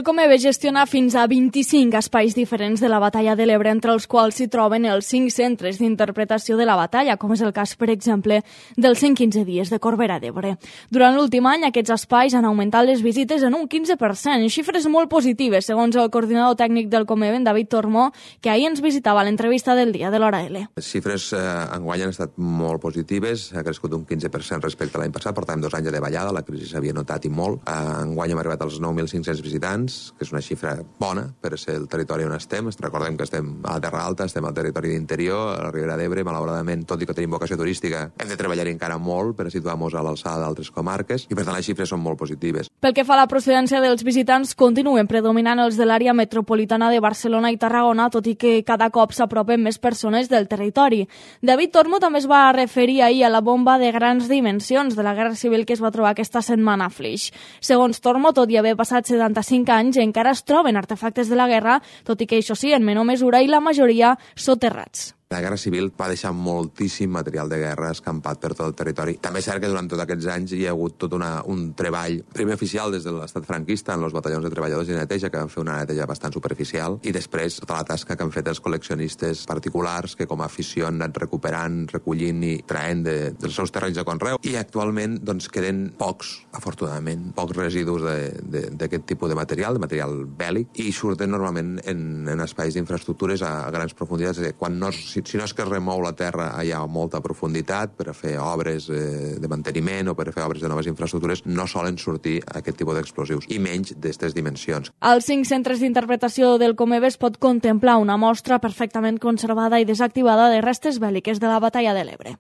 El Comeve gestiona fins a 25 espais diferents de la batalla de l'Ebre, entre els quals s'hi troben els 5 centres d'interpretació de la batalla, com és el cas, per exemple, dels 115 dies de Corbera d'Ebre. Durant l'últim any, aquests espais han augmentat les visites en un 15%, xifres molt positives, segons el coordinador tècnic del Comeve, en David Tormó, que ahir ens visitava a l'entrevista del dia de l'Hora L. Les xifres enguany han estat molt positives, ha crescut un 15% respecte a l'any passat, portàvem 2 anys de davallada, la crisi s'havia notat i molt. Enguany hem arribat als 9.500 visitants, que és una xifra bona per ser el territori on estem. Recordem que estem a la Terra Alta, estem al territori d'interior, a la Ribera d'Ebre, malauradament, tot i que tenim vocació turística, hem de treballar encara molt per situar-nos a l'alçada d'altres comarques i, per tant, les xifres són molt positives. Pel que fa a la procedència dels visitants, continuen predominant els de l'àrea metropolitana de Barcelona i Tarragona, tot i que cada cop s'apropen més persones del territori. David Tormo també es va referir ahir a la bomba de grans dimensions de la Guerra Civil que es va trobar aquesta setmana a Flix. Segons Tormo, tot i haver passat 75 anys, encara es troben artefactes de la guerra, tot i que això sí, en menor mesura, i la majoria soterrats. La Guerra Civil va deixar moltíssim material de guerra escampat per tot el territori. També és cert que durant tots aquests anys hi ha hagut tot un treball, primer oficial des de l'estat franquista en els batallons de treballadors de neteja, que van fer una neteja bastant superficial, i després tota la tasca que han fet els col·leccionistes particulars, que com a afició han anat recuperant, recollint i traient dels seus terrenys de conreu. I actualment doncs, queden pocs, afortunadament, pocs residus d'aquest tipus de material bèl·lic, i surten normalment en espais d'infraestructures a grans profunditats. Si no és que es remou la terra allà a molta profunditat per a fer obres de manteniment o per a fer obres de noves infraestructures, no solen sortir aquest tipus d'explosius, i menys d'aquestes dimensions. Als 5 centres d'interpretació del Comeve es pot contemplar una mostra perfectament conservada i desactivada de restes bèl·liques de la batalla de l'Ebre.